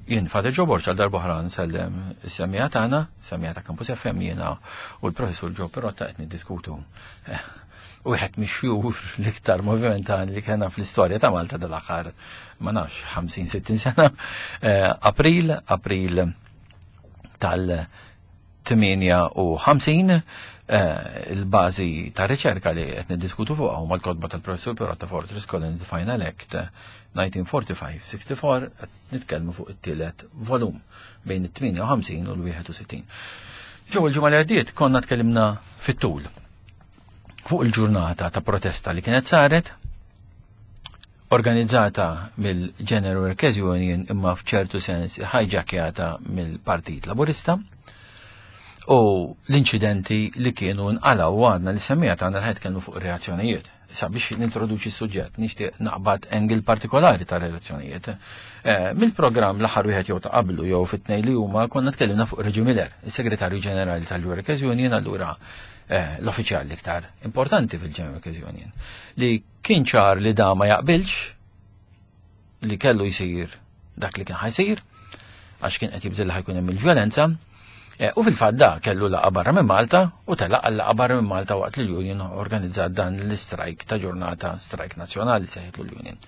Jien Father Joe Borg għal darb'oħra nsellem is-semmiegħa tagħna, semmiegħa ta' Campus FM jiena u l-Professur Joe Pirotta qed niddiskutu eh, wieħed mix-xjur l-iktar movimentali li kellna fl-istorja ta' Malta dal-aħħar ma nafx 50-60 sena. Eh, April, April tal- 58 eh, il-bażi ta' riċerka li qed niddiskutu fuqha huma l-kotba tal-Professur Pirotta Fortress Colony the Final Act 1945-64 qed nitkellmu fuq it-tielet volum bejn it-58 u l-61. Ġew il-ġimgħa li għaddiet konna tkellimna fit-tul fuq il-ġurnata ta' protesta li kienet saret organizzata mill-General Workers Union imma f'ċertu sens hijackjata mill-Partit Laburista u l-inċidenti li kienu nqalaw u għadna li semmija tagħna l kienu fuq reazzjonijiet. Issa biex nintroduċi s-suġġett nixtieq naqbad engil partikolari ta' reazzjonijiet. Eh, mill-programm l-aħħar wieħed jew ta' qablu jew fit-tnejn li huma konna tkellimna fuq Reġi Miller, is-Segretarju Ġenerali tal-Workers Union allura eh, l-uffiċjal l-iktar importanti fil-General Workers Union li Kien ċar li da ma jaqbilx li kellu jsir dak li kien ħajsir, għax kien qed jibżil li ħajkun hemm il-vjolenza, e, u fil-fatt da kellu laqa barra minn Malta u telaq għal laqa barra minn Malta waqt li l-Union organizzat dan l-istrajk ta' ġurnata strajk nazzjonali seħħitlu l-Union.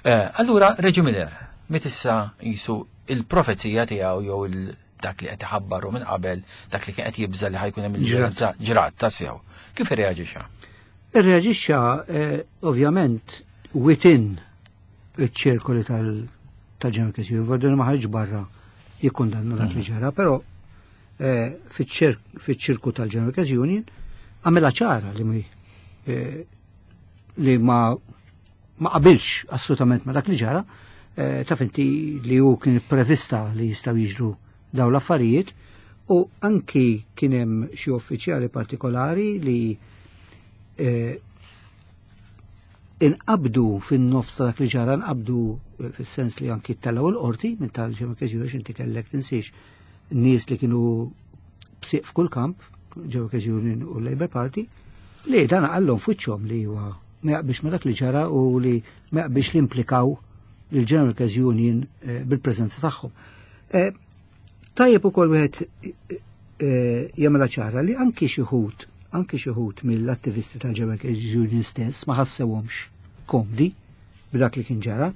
E, allura Reġi Miller, mit issa jisu il-profezija tiegħu jew il dak li qed iħabbaru minn qabel, dak li kien qed jibża li ħajkun hemm il-vjolenza ġrat ta' sew. Kif irreaġixxa? Irreaġixxa eh, ovvjament within iċ-ċirkoli tal-General Council, Vordun ma ħarġ barra jikkundanna dak li mhm. ġara, però eh, fiċ-ċirku tal-General Workers Union għamela ċara li eh, li ma ma qabilx assolutament ma dak li ġara, eh, taf inti li hu kien prevista li jistgħu jiġru daw l-affarijiet u anki kien hemm xi uffiċjali partikolari li eh, inqabdu fin-nofs ta' dak li ġara nqabdu eh, fis-sens li anki tellgħu l-qorti minn tal-ġemma inti kellek tinsiex nies li kienu bsiq f'kull kamp, ġew Union u Labour Party, li dan għallhom fuċċhom li huwa ma jaqbilx ma dak li ġara u li ma jaqbilx li implikaw l-General Workers Union eh, bil-preżenza tagħhom. Eh, tajjeb ukoll wieħed eh, jagħmilha ċara li anki xi ħut anki xi ħut mill-attivisti tal-General Workers Union stess ma ħassewhomx komdi b'dak li kien ġara.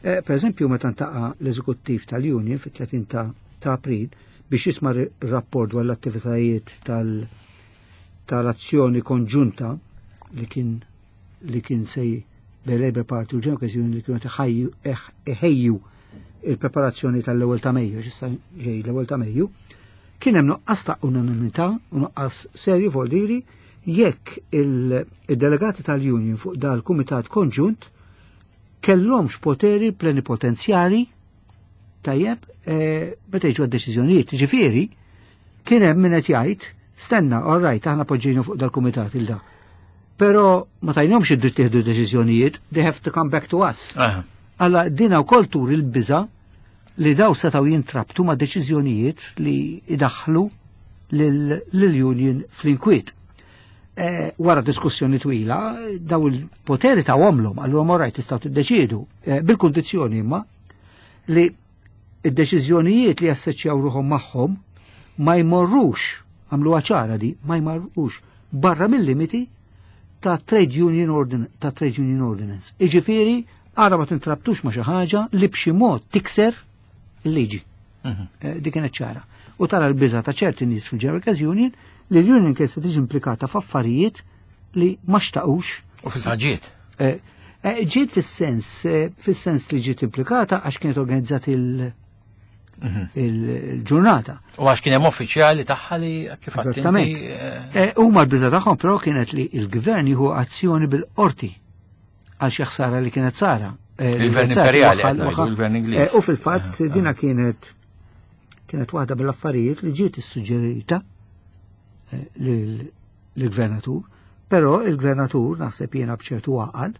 Per eżempju, meta ntaqa' l-eżekuttiv tal-Union fit-30 ta' April biex jisma' rapport dwar l-attivitajiet tal- tal-azzjoni konġunta li kien li kien sej bej Labour Party u General Union li kienu iħejju il-preparazzjoni tal-ewwel ta' Mejju, x'issa ġej l-ewwel ta' Mejju, kien hemm nuqqas ta' unanimità u nuqqas serju voldiri jekk il-delegati tal-Union fuq dal-Kumitat Konġunt kellhomx poteri plenipotenzjali tajjeb eh, meta jiġu għad-deċiżjonijiet. Ġifieri, kien hemm min qed jgħid, stenna, all right, aħna poġġejnu fuq dal-kumitat il da. Però ma tajnhomx id-dritt jieħdu deċiżjonijiet, they have to come back to us. Alla dina wkoll tur il-biża li daw setgħu jintrabtu ma' deċiżjonijiet li idaħħlu lill-union fl-inkwiet. Eh, wara diskussjoni twila, daw il-poteri ta' għomlom, għallu għom orajt tistaw tiddeċidu, eh, bil-kondizjoni imma li id-deċiżjonijiet li jassoċjaw ruħhom magħhom ma jmorrux, għamlu ċara di, ma jmorrux barra mill-limiti ta' Trade Union Ordinance, ta' Trade Union Ordinance. Iġifieri, ara ma tintrabtux ma xi ħaġa li b'xi mod tikser il-liġi. Mhm. Eh, dik kienet ċara. U tara l-biża ta' ċerti nies fil-General Workers Union li l-union kienet se tiġi implikata f'affarijiet li ma xtaqux. U fil-ħaġiet. Eh, eh, ġiet fis-sens, fis-sens li ġiet implikata għax kienet organizzat il- mhm. il-ġurnata. U għax kien hemm uffiċjali tagħha li kif Eżattament. Huma l-biża tagħhom però kienet li l-gvern jieħu azzjoni bil-qorti għal xi ħsara li kienet sara. Eh, Il-gvern imperjali, il-gvern Ingliż. Eh, u fil-fatt eh, dina kienet kienet waħda mill-affarijiet li ġiet issuġġerita lill-gvernatur, però il-gvernatur naħseb jiena b'ċertu għaqal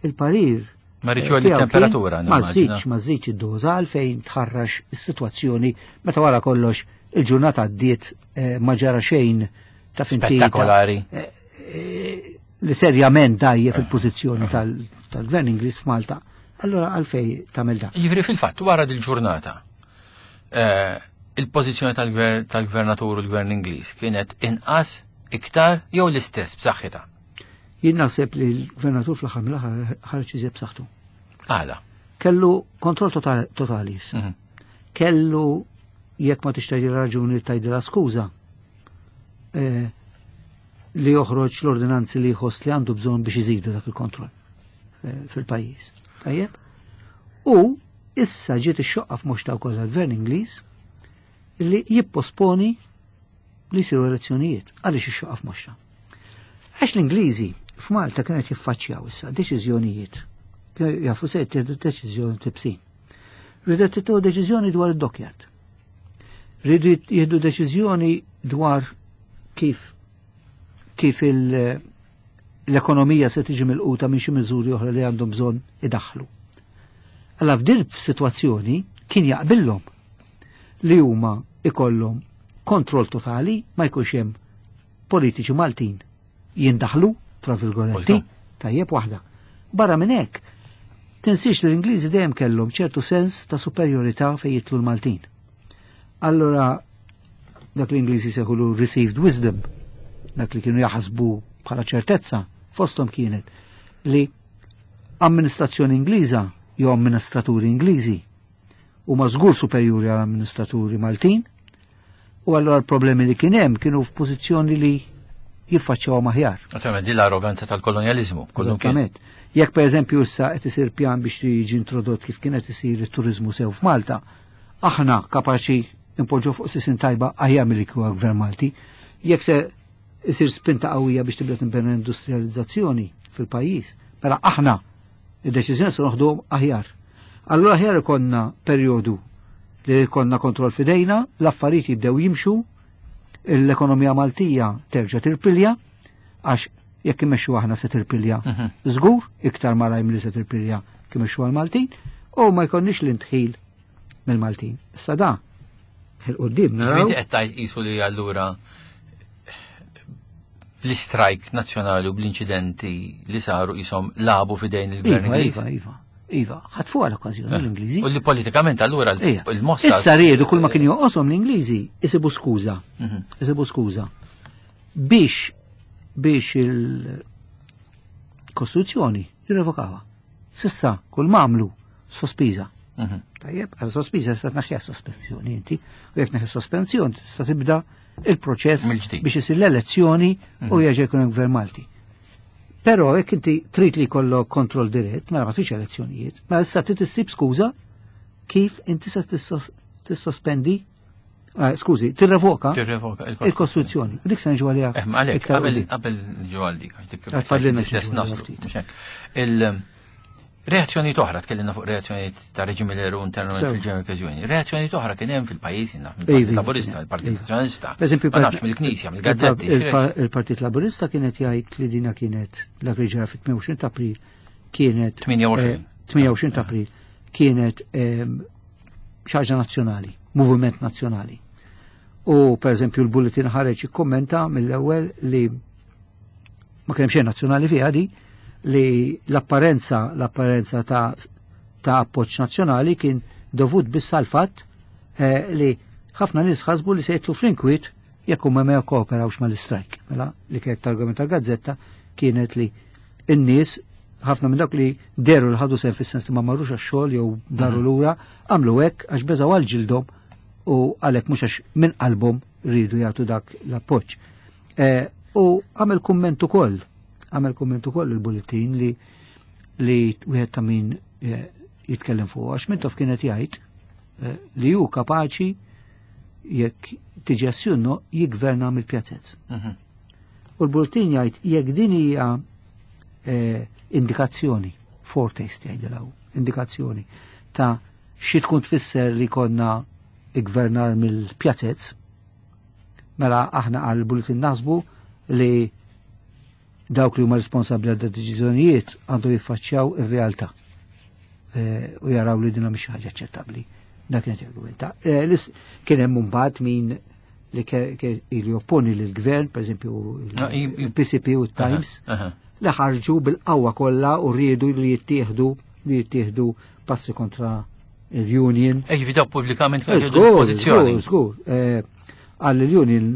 il-parir Ma rridx li temperatura. Ma żidx, ma żidx id-doża għalfejn tħarrax is-sitwazzjoni meta wara kollox il-ġurnata għaddiet ma ġara xejn ta' Spettakolari li serjament dajje fil-pożizzjoni tal-gvern Ingliż f'Malta. Allora għalfej tagħmel dan. Jiġifieri fil-fatt wara dil-ġurnata. Eh, il-pożizzjoni tal-gvernatur u l-gvern Ingliż kienet inqas, iktar jew l-istess b'saħħitha? Jien naħseb li l-gvernatur fl-aħħar mill-aħħar ħareġ iżjed b'saħħtu. Għala. Kellu kontroll totali. Mhm. Kellu jekk ma tixtieq raġuni tajdilha skuża. Eh, li joħroġ l-ordinanzi li jħoss li għandu bżonn biex iżidu dak il-kontroll eh, fil-pajjiż. Tajjeb? U issa ġiet ix-xoqqa f'moxta wkoll għall-Gvern Ingliż li jipposponi li jsiru elezzjonijiet. Għaliex ix-xoqqa f'moxta? Għax l-Ingliżi f'Malta kienet jiffaċċjaw issa deċiżjonijiet. Jafu se jittieħdu deċiżjoni tibsin. Ridet tieħdu deċiżjoni dwar id-dockyard. Ridu jieħdu deċiżjoni dwar kif kif l-ekonomija se tiġi milquta minn xi miżuri oħra li għandhom bżonn idaħħlu. Alla f'din situazzjoni kien jaqbillhom li huma ikollhom kontroll totali ma jkunx hemm politiċi Maltin jindaħlu tra virgoletti tajjeb waħda. Barra minn hekk, tinsiex li l-Ingliżi dejjem kellhom ċertu sens ta' superjorità fejn jitlu l-Maltin. Allora dak l-Ingliżi seħulu received wisdom, dak li kienu jaħsbu bħala ċertezza, fosthom kienet li amministrazzjoni Ingliża jew amministraturi Ingliżi huma żgur superjuri għal amministraturi Maltin u allura l-problemi li kien hemm kienu f'pożizzjoni li jiffaċċjaw aħjar. Naturalment din l-arroganza tal-kolonjaliżmu. Eżattament. Jekk pereżempju issa qed isir pjan biex jiġi introdott kif kien qed isir it-turiżmu sew f'Malta, aħna kapaċi impoġġu fuq sisin tajba aħjar milli kieku gvern Malti. Jekk se isir spinta qawwija biex tibda tinbena industrializzazzjoni fil-pajjiż, mela aħna id-deċiżjoni se noħdu aħjar. Allura aħjar ikonna perjodu li jkollna kontroll fidejna, l-affarijiet jibdew jimxu, l-ekonomija Maltija terġa' tirpilja, għax jekk immexxu aħna se tirpilja żgur, iktar malajr milli se tirpilja kif imexxu għal-Maltin, u ma jkollniex l-indħil mill-Maltin. Issa da, il-qoddim naraw. Inti qed tgħid qisu li allura bl-istrajk nazzjonali u bl-inċidenti li saru qishom labu f'idejn il-gvern Iva, Ingliż. iva, iva. Iva, ħatfu għal-okkażjoni l-Ingliżi. U li politikament allura il-mossa. Issa riedu kull ma kien joqoshom l-Ingliżi isibu skuża. Isibu skuża. Biex biex il-Kostituzzjoni jirrevokawha. Sissa kull ma għamlu sospiża. Tajjeb, għal sospiża tista' tneħħiha sospensjoni inti, u jekk neħi sospensjoni tista' tibda il-proċess Mill-ġdid. biex isir l-elezzjoni u jerġa' jkun hemm gvern Malti. Però jekk inti trid li jkollok kontroll dirett, mela ma tridx elezzjonijiet, mela issa trid issib skuża kif inti se tissospendi, skużi, tirrevoka Tirrevoka il-Kostituzzjoni. U dik se niġu għaliha. Eh, ma għalhekk, iktar quddiem. qabel niġu għal dik, għax dik Għad fadlilna xi l-istess niġu għaliha naslu, ftit. mhux hekk. Il-reazzjoni oħra, tkellimna fuq reazzjoni ta' reġim Miller u internament fil-General Workers' Reazzjoni oħra kien hemm fil-pajjiż, naf, mill-Partit Laburista, il-Partit Nazzjonalista, Per eżempju, ma nafx mill-Knisja, mill-gazzetti, il-Partit Laburista kienet jgħid li dina kienet dak li ġara fit-28 ta' April kienet 28. 28 ta' April kienet xi ħaġa nazzjonali, moviment nazzjonali. U per eżempju l-Bulletin ħareġ ikkommenta mill-ewwel li ma kien hemm xejn nazzjonali fiha di, li l-apparenza ta' appoġġ nazzjonali kien dovut biss għal fatt li ħafna nies ħasbu li se jitlu fl-inkwiet jekk huma ma jikkooperawx mal-istrajk. Mela li kienet l-argument tal-gazzetta kienet li n-nies ħafna minn dawk li deru li ħadu sehem fis-sens li ma marrux għax-xogħol jew daru lura għamlu hekk għax beżgħu għal ġildhom u għalhekk mhux għax minn qalbhom rridu jagħtu dak l-appoġġ. U għamel kumment ukoll, għamel kumment ukoll il-bulletin li wieħed ta' min jitkellem fuq, għax Mintoff kienet jgħid li hu kapaċi jekk tiġi assjunno jigverna mill-pjazzezz. U l-bulletin jgħid jekk din hija indikazzjoni, foretaste jgħidilha, indikazzjoni ta' xi tkun tfisser li konna igvernar mill-pjazzezz, mela aħna għal bulletin naħsbu li dawk li huma responsabbli għal deċiżjonijiet għandhom jiffaċċjaw ir-realtà u jaraw li dinha mhix xi ħaġa aċċettabbli. Dak kienet argumenta. Kien hemm mbagħad min li ilu jopponi lill-gvern, per eżempju, il-PCP u t-Times, li ħarġu bil-qawwa kollha u riedu li jittieħdu passi kontra il-union. Ej, daw pubblikament kienu jieħdu pożizzjoni. Żgur, qal il-union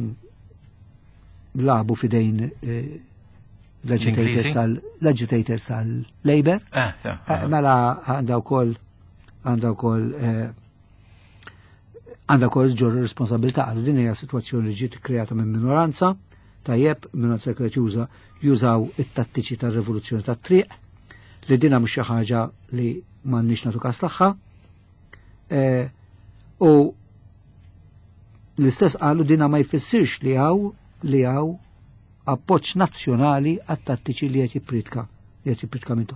labu fidejn l-agitators tal-Labor. Mela għandha wkoll għandha wkoll għandha wkoll ġorru responsabilità għal din hija sitwazzjoni li ġiet kreata minn minoranza, tajjeb, minoranza kienet juża jużaw it-tattiċi tar-rivoluzzjoni tat-triq, li dina mhux xi ħaġa li m'għandniex nagħtu każ tagħha. U l-istess qalu dina ma jfissirx li hawn appoġġ nazzjonali għat-tattiċi li qed jippritka, li qed jippritka mintu.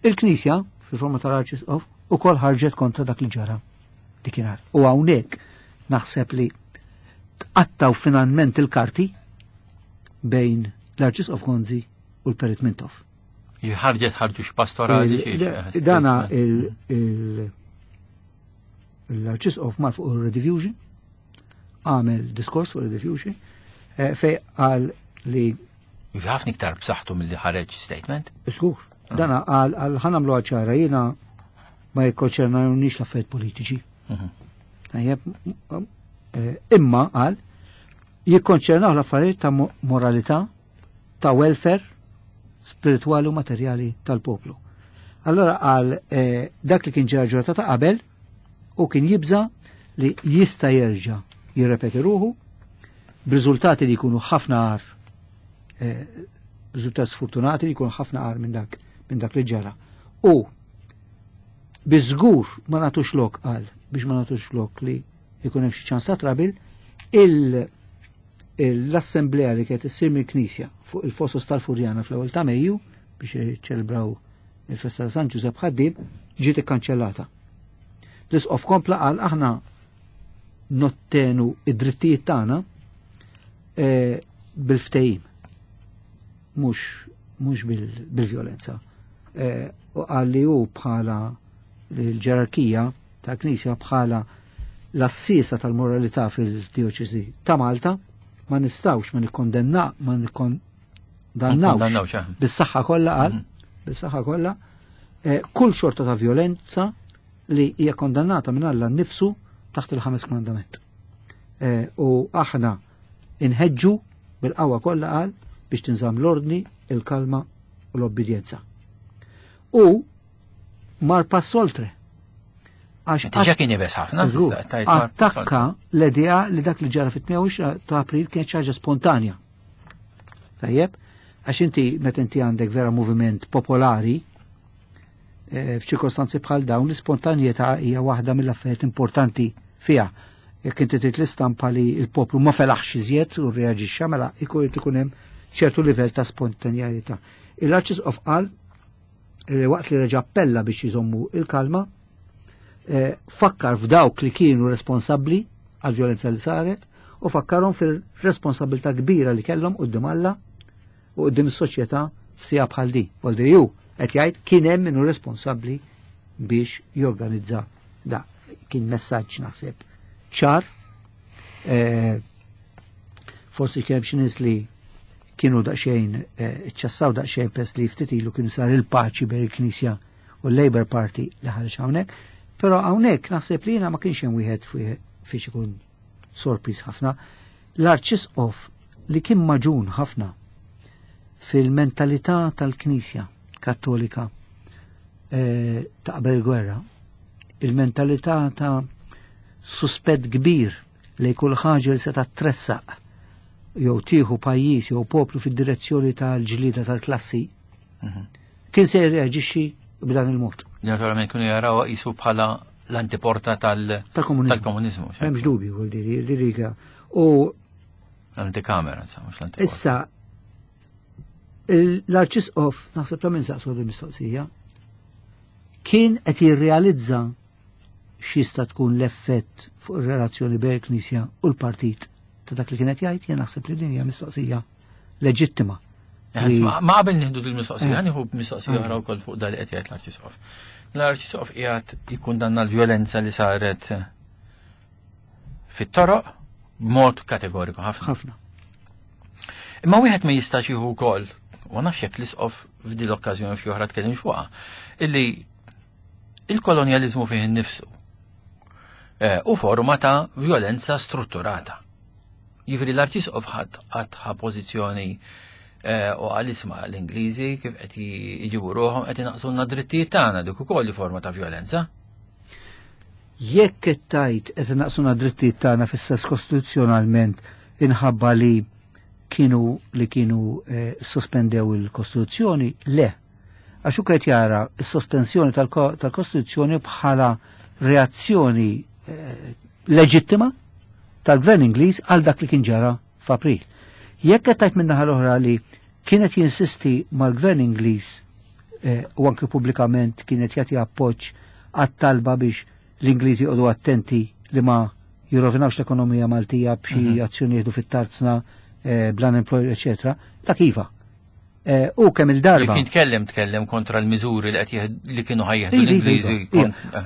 Il-Knisja, fil-forma tal-Arċisqof, ukoll ħarġet kontra dak li ġara dikinhar. U hawnhekk naħseb li tqattaw finalment il-karti bejn l-Arċisqof Gonzi u l-Perit Mintoff. Ħarġet ħarġu x'pastorali xi. Dana l-Arċisqof mar fuq il-Rediffusion, għamel diskors fuq il-Rediffusion, fej qal li Ħafna iktar b'saħħtu milli ħareġ statement. Żgur. Dana qal għal ħanamlu ċara jiena ma jikkonċernawniex l-affarijiet politiċi. Tajjeb, imma qal jikkonċernaw l-affarijiet ta' moralità, ta' welfare spirituali u materjali tal-poplu. Allora qal dak li kien ġara ġurnata ta' qabel u kien jibża li jista' jerġa' jirrepeti ruħu b'riżultati li jkunu ħafna agħar, riżultati sfortunati li jkunu ħafna agħar minn dak li ġara. U biżgur ma nagħtux lok qal biex ma nagħtux lok li jkun hemm xi ċans ta' trabil, l-assemblea li kienet issir mill-Knisja fuq il-Fosos tal-Furjana fl-ewwel ta' Mejju biex jiċċelebraw il-festa ta' San Ġużepp Ħaddiem ġiet ikkanċellata. L-Isqof kompla qal aħna nottenu id-drittijiet tagħna bil-ftehim, mhux bil-vjolenza. U qal li hu bħala l-ġerarkija tal-Knisja bħala l-assisa tal-moralità fil-dioċesi ta' Malta ma nistawx ma nikkondenna ma nikkondannawx bis-saħħa kollha qal bis-saħħa kollha kull xorta ta' violenza li hija kondannata minn Alla nnifsu taħt il-ħames kmandament. U aħna inħeġġu bil-qawwa kollha qal biex tinżamm l-ordni, il-kalma u l-obbedjenza. U mar pass oltre. Għax Diġà kien jibes ħafna, attakka l-idea li dak li ġara fit-28 ta' April kien ħaġa spontanja. Tajjeb, għax inti meta inti għandek vera moviment popolari, f'ċirkostanzi bħal dawn l-ispontanjetà hija waħda mill-affarijiet importanti fiha. Jekk inti trid l-istampa li l-poplu ma felaħx iżjed u rreaġixxa, mela ikun hemm ċertu livell ta' spontanjetà. Il-Arċisqof qal waqt li reġa' appella biex jżommu il-kalma, fakkar f'dawk li kienu responsabbli għal-vjolenza li saret u fakkarhom fil-responsabilità kbira li kellhom quddiem Alla u quddiem is-soċjetà f'sija bħal di. Voldi ju qed jgħid kien hemm minnu responsabbli biex jorganizza da. Kien messaġġ naħseb ċar. Forsi kien hemm xi nies li kienu daqsxejn iċċassaw daqsxejn pers li ftit ilu kienu sar il-paċi bejn il-Knisja u l-Labour Party li ħareġ hawnhekk, però hawnhekk naħseb li jiena ma kienx hemm wieħed fiex ikun sorpriż ħafna. L-Arċisqof li kien maġun ħafna fil-mentalità tal-Knisja Kattolika ta' qabel il-gwerra, il-mentalità ta' suspett kbir li kull ħaġa li seta' tressaq jew tieħu pajjiż jew poplu fid-direzzjoni tal-ġlieda tal-klassi, kien se jirreaġixxi b'dan il-mod. Naturalment kienu jaraw qisu bħala l-antiporta tal-komuniżmu. M'hemmx dubju, vuol dire, diri u l-antikamera, insomma, mhux l-antiporta. Issa l-Arċisqof, naħseb ta' minn saqsu mistoqsija, kien qed jirrealizza x'jista' tkun l-effett fuq ir-relazzjoni bejn il-Knisja u l-partit ta' dak li kienet jgħid, jien naħseb li din hija mistoqsija leġittima. Ma qabel nieħdu din mistoqsija, nieħu mistoqsija oħra wkoll fuq dak li qed jgħid l-Arċisqof. L-Arċisqof qiegħed jikkundanna l-vjolenza li saret fit-toroq b'mod kategoriku ħafna. Ħafna. Imma wieħed ma jistax jieħu wkoll, u ma nafx jekk l-Isqof f'din l-okkażjoni f'xi oħra tkellimx fuqha, illi il-kolonjaliżmu fih innifsu. U forma ta' violenza strutturata. Jiġifieri l-Arċisqof ħadd qatt ħa pożizzjoni u qal isma' l-Ingliżi kif qed jġibu ruħhom qed inaqsulna drittijiet tagħna dik ukoll forma ta' violenza. Jekk qed tgħid qed inaqsuna drittijiet tagħna fis-sens kostituzzjonalment inħabba li kienu li kienu sospendew il-Kostituzzjoni, le. Għax hu qed jara s-sospensjoni tal-Kostituzzjoni bħala reazzjoni leġittima tal-Gvern Ingliż għal dak li kien ġara f'April. Jekk qed tgħid min-naħa l-oħra li kienet jinsisti mal-Gvern Ingliż u anke pubblikament kienet jagħti appoġġ għat-talba biex l-Ingliżi joqogħdu attenti li ma jirrovinawx l-ekonomija Maltija b'xi azzjoni jieħdu fit-tarzna, bl-unemployed, eċetera, dak iva. U kemm il-darba. Kien tkellem kontra l-miżuri li qed li kienu ħajjeħdu l-Ingliżi.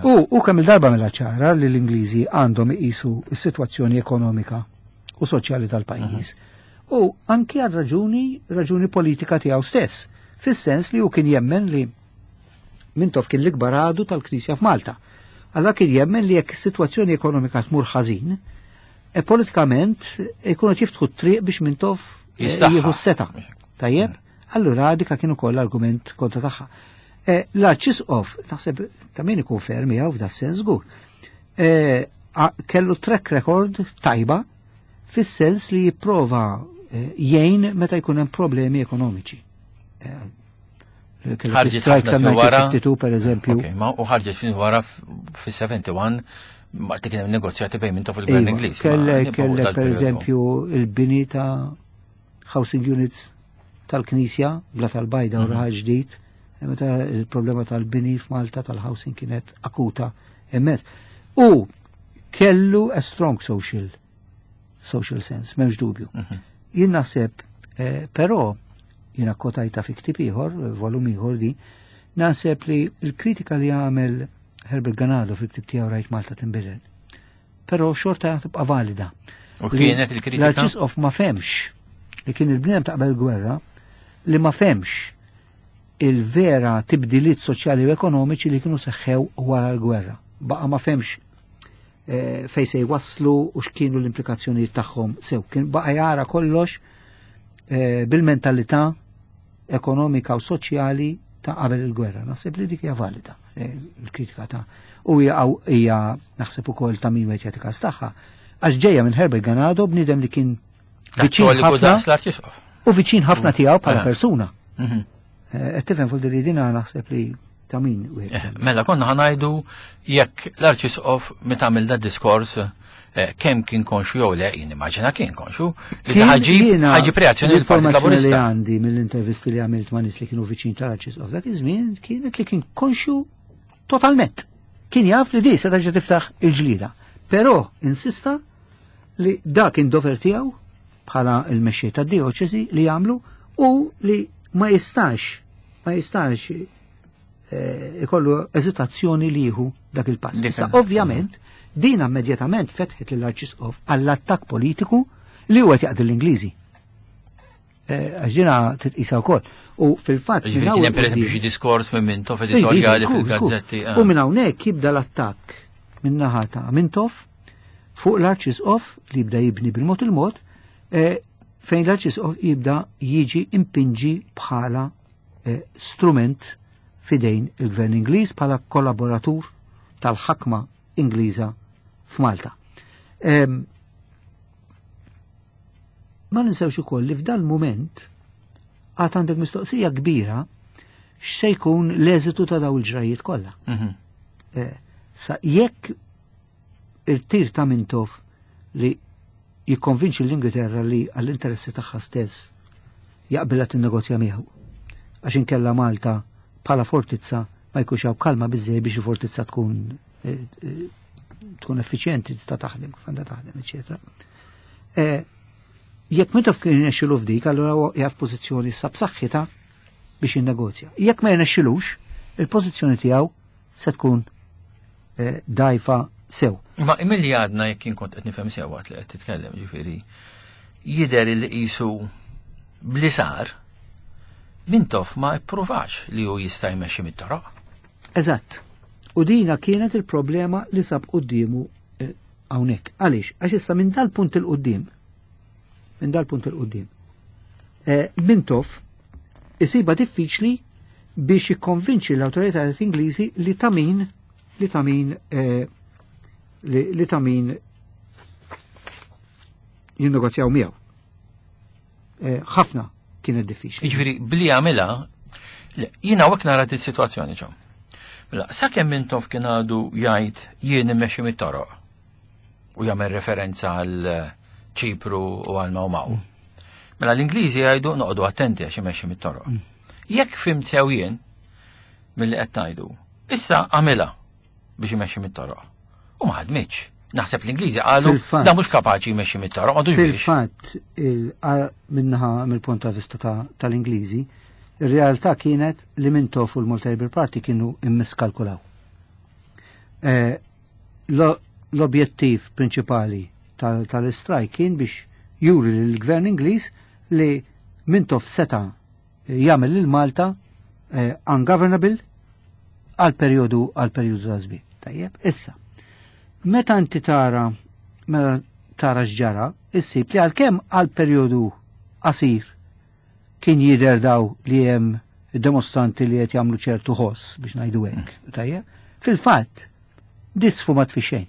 U kemm il-darba mela ċara li l-Ingliżi għandhom iqisu s-sitwazzjoni ekonomika u soċjali tal-pajjiż. U anki għal raġuni politika tiegħu stess, fis-sens li hu kien jemmen li Mintoff kien l-ikbar għadu tal-Knisja f'Malta. Alla kien jemmen li jekk is-sitwazzjoni ekonomika tmur ħażin, politikament ikunu jiftħu t-triq biex Mintoff jieħu s-seta. Tajjeb? Allura dika kien ukoll argument kontra tagħha. L-Arċisqof, naħseb ta' min ikun ferm miegħu f'da sens żgur. Kellu track record tajba fis-sens li jipprova jgħin meta jkun hemm problemi ekonomiċi. Kellu Ħarġet strike ħafna snin wara. tal-1952 per eżempju. Ok, ma u ħarġet fin wara fis-71 ma kien hemm negozjati bejn Mintoff il-Gvern Iva, Ingliż. Ma nibqgħu kellek per dal-periodu. eżempju il-bini ta' housing units tal-Knisja, bla tal-Bajda u raħal ġdid, meta il-problema tal-bini f'Malta tal-housing kienet akuta immens. U kellu a strong social sense, m'hemmx dubju. Jien naħseb, però, jiena kwotajtha fi ktieb ieħor, volum ieħor di, naħseb li l-kritika li għamel Herbert Ganado fil-ktieb tiegħu Rajt Malta Tinbidel, però xorta tibqa' valida. U Li kienet il-kritika? L-Arċisqof ma femx li kien il-bniedem ta' qabel gwerra li ma femx il-vera tibdiliet soċjali u ekonomiċi li kienu seħħew wara l-gwerra. Baqa' ma femx fej se jwasslu u x'kienu l-implikazzjonijiet tagħhom sew. Kien baqa' jara kollox bil-mentalità ekonomika u soċjali ta' qabel il-gwerra. Naħseb li dik hija valida, il-kritika ta' u hija naħseb ukoll ta' min wieħed jagħti każ tagħha. Għax ġejja minn Herbert Ganado, bniedem li kien Dak viċin li ħafna daqs l-Arċisqof. u viċin ħafna tiegħu bħala persuna. Qed tifhem fuq li dina naħseb li ta' min wieħed jsemmi. Mela konna ħanajdu jekk l-Arċisqof meta għamel da diskors kemm kien konxu jew le, jien immaġina kien konxu, li Kien jiena ħaġib reazzjoni l-Partit l-informazzjoni li Laburista. għandi mill-intervisti li għamilt ma' nies li kienu viċin tal-Arċisqof dak iż-żmien kienet li kien konxu totalment. Kien jaf li di se terġa' tiftaħ il-ġlida. Però insista li dak kien dover tiegħu bħala il-mexxej tad-dioċesi li jagħmlu u li ma jistax ikollu eżitazzjoni li jieħu dak il-pass. Dik Issa, il- ovvjament, din immedjatament fetħet lill-Arċisqof għall-attakk politiku li huwa qed jaqdi l-Ingliżi. Għax dina titqisha wkoll. U fil-fatt Ġifieri minn kien hawn hemm pereżempju quddiem xi diskors minn Mintoff Iva, editorjali iva, żgur, żgur. fil-gazzetti, U minn hawnhekk jibda l-attakk minn naħa ta' Mintoff fuq l-Arċisqof li jibda jibni bil-mod il-mod, fejn l-Arċisqof jibda jiġi impinġi bħala strument fidejn il-Gvern Ingliż bħala kollaboratur tal-ħakma Ingliża f'Malta. Ma ninsewx ukoll li f'dan il-mument għad għandek mistoqsija kbira x'se jkun l-eżitu ta' daw il-ġrajiet kollha. Sa jekk il-tir ta' Mintoff li jikkonvinċi l-Ingilterra li għall-interessi tagħha stess jaqbilha tinnegozja miegħu. Għax inkella Malta bħala fortizza ma jkunx hawn kalma biżejjed biex il-fortizza tkun effiċjenti, tista' taħdem kif għandha taħdem, eċetera. Jekk Mintoff kien jirnexxilu f'dik, allura huwa jaf pożizzjoni sa b'saħħitha biex jinnegozja. Jekk ma jirnexxilux, il-pożizzjoni tiegħu se tkun dajfa sew. Ma milli għadna jekk kien kont qed nifhem sew waqt li qed titkellem, ġifieri jidher li qisu bli sar Mintoff ma ippruvax li hu jista' jmexxi mit-toroq. Eżatt. U dina kienet il-problema li sab quddiemu hawnhekk. Għaliex? Għax issa minn dal-punt il-qudiem, minn dal-punt il-qudiem, eh, Mintoff isiba diffiċli biex jikkonvinċi l-awtoritajiet Ingliżi li ta' min li ta' min eh, li ta' min jinnegozjaw miegħu. Eh, ħafna kienet diffiċli. Jiġifieri bli għamilha, jiena hawnhekk nara dit-sitwazzjoni ġo. Mela, sakemm Mintoff kien għadu jgħid jien immexxi mit-toroq u jagħmel referenza għal Ċipru u għal Mawmaw. Mela l-Ingliżi jgħidu noqogħdu attenti għax imexxi mit-toroq. Jekk fhimt sew jien milli qed ngħidu, issa għamilha biex imexxi mit-toroq. U ma ħadmitx. Naħseb l-Ingliżi qalu da mhux kapaċi jmexxi mit-toroq, m'għadux Fil-fatt, minnaħa mill-punt ta' vista tal-Ingliżi, ir-realtà kienet li Mintoff u l-Malta Labour Party kienu immiskalkulaw. Eh, l-objettiv prinċipali tal-istrajk kien biex juri lill-gvern Ingliż li Mintoff seta' jagħmel lil Malta eh, ungovernable għal perjodu għal perjodu ta' żmien. Tajjeb, issa. Meta inti tara meta tara x'ġara, issib li għalkemm għal perjodu qasir kien jidher daw li hemm dimostranti li qed jagħmlu ċertu ħoss biex ngħidu hekk, tajjeb. Fil-fatt, disfu ma tfixxejn.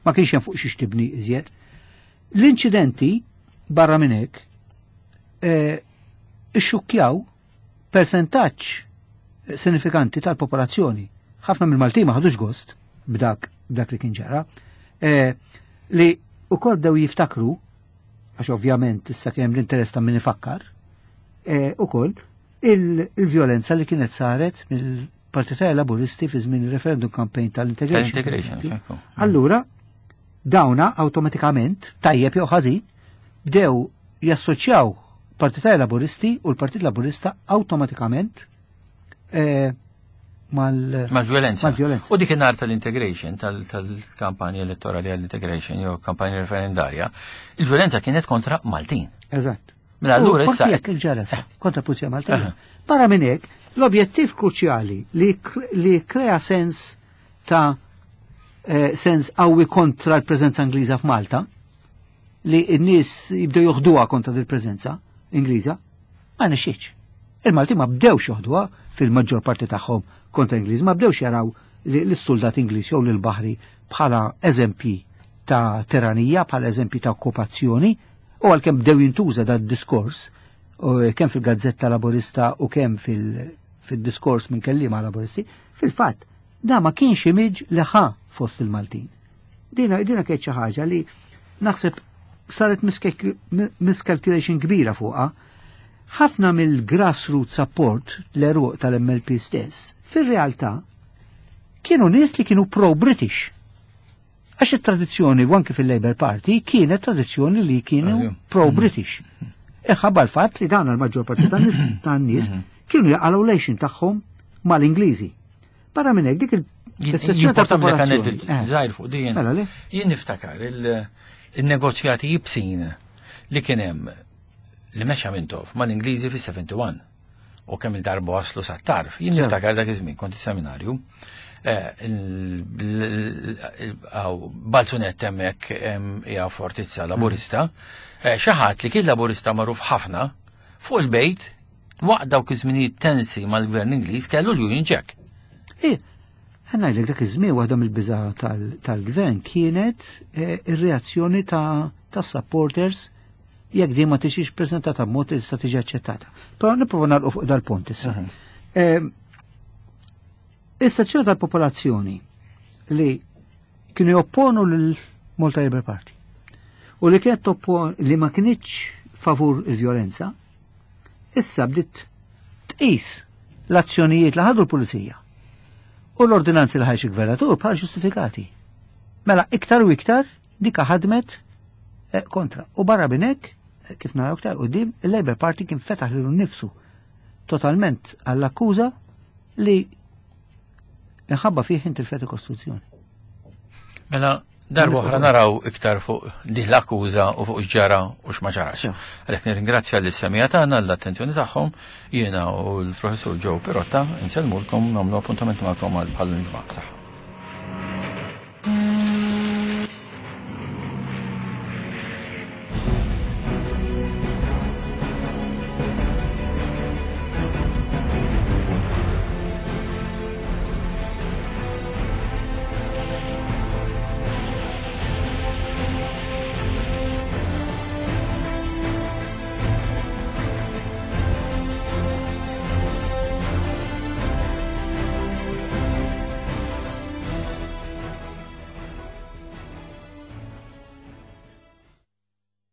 Ma kienx hemm fuq xiex tibni iżjed. L-inċidenti barra minn hekk eh, ixxukkjaw persentaġġ sinifikanti tal-popolazzjoni. Ħafna mill-Maltin ma ħadux gost b'dak b'dak li kien ġara, eh, li ukoll bdew jiftakru, għax ovvjament issa kien hemm l-interess ta' min ifakkar, eh, ukoll il-vjolenza li kienet saret mill-Partitari Laburisti fi żmien il-referendum campaign tal-integration. Tal-integration, Allura, dawna awtomatikament, tajjeb jew ħażin, bdew jassoċjaw Partitari Laburisti u l-Partit Laburista awtomatikament eh, mal-violenza. Mal u dik in-nar tal-integration, tal-kampanja elettorali għall-integration jew kampanja referendarja, il-violenza kienet kontra Maltin. Eżatt. Mela allura issa. Jekk il-ġeles kontra Pulizija Maltija. Barra minn hekk, l-objettiv kruċjali li krea sens ta' eh, sens qawwi kontra l-preżenza Ingliża f'Malta, li n-nies jibdew joħduha kontra il-preżenza Ingliża, ma nexxietx. Il-Malti ma bdewx joħduha fil-maġġor parti tagħhom kontra Ingliż, ma bdewx jaraw l-soldat Ingliż jew l-baħri bħala eżempji ta' tiranija, bħala eżempji ta' okkupazzjoni, u għalkemm bdew jintuża da' diskors kemm fil-Gazzetta Laburista u kemm fil-diskors minn kelliema Laburisti, fil-fatt da ma kienx image li ħa fost il-Maltin. Dina dina kienet xi ħaġa li naħseb saret miscalculation kbira fuqha. Ħafna mill-grassroots support l-eruq tal-MLP stess, fir-realtà kienu nies li kienu pro-British. Għax it-tradizzjoni u anke fil-Labour Party kienet tradizzjoni li kienu pro-British. Iħabba l-fatt li dan il-maġġor parti tan-nies kienu jaqalgħu lejxin tagħhom mal-Ingliżi. Barra minn hekk dik il-sezzjoni ta' popolazzjoni. Żgħir fuq din. Mela jien niftakar il-negozjati jibsin li kien hemm li mexa Mintoff mal-Ingliżi fis-71 u kemm il-darba waslu sat-tarf. Jien niftakar dak iż-żmien kont is-seminarju. Eh, Balzunet hemmhekk hija fortizza laburista. Eh, xi ħadd li kien laburista magħruf ħafna fuq il-bejt Waqt dawk iż-żminijiet tensi mal-gvern Ingliż kellu l-Union Jack. Eh, għanna dak iż-żmien waħda mill-biża tal-gvern kienet eh, ir-reazzjoni ta' supporters jekk din ma tiġix preżentata b'mod li tista' tiġi aċċettata. Però nipprova nagħlqu fuq dal-punt issa. Mhm. Eh, is-sezzjoni tal-popolazzjoni li kienu jopponu lil Malta Labour Party u li kienet li ma kienx favur il-vjolenza, issa bdiet tqis l-azzjonijiet li ħadu l-pulizija u l-ordinanzi li ħarġ il-gvernatur bħala ġustifikati. Mela iktar u iktar dika ħadmet eh, kontra. U barra minn hekk, eh, kif naraw iktar qudiem, il-Labour Party kien fetaħ lilu nnifsu totalment għall-akkuża li inħabba fih intilfet il-Kostituzzjoni. Mela, darba oħra naraw iktar fuq din l-akkuża u fuq x'ġara u x'ma ġarax. Għalhekk nirringrazzja lis semija tagħna l-attenzjoni tagħhom, jiena u l-professur Joe Pirotta insellmulkom nagħmlu appuntament magħkom għal bħal ġimgħa. Saħħa.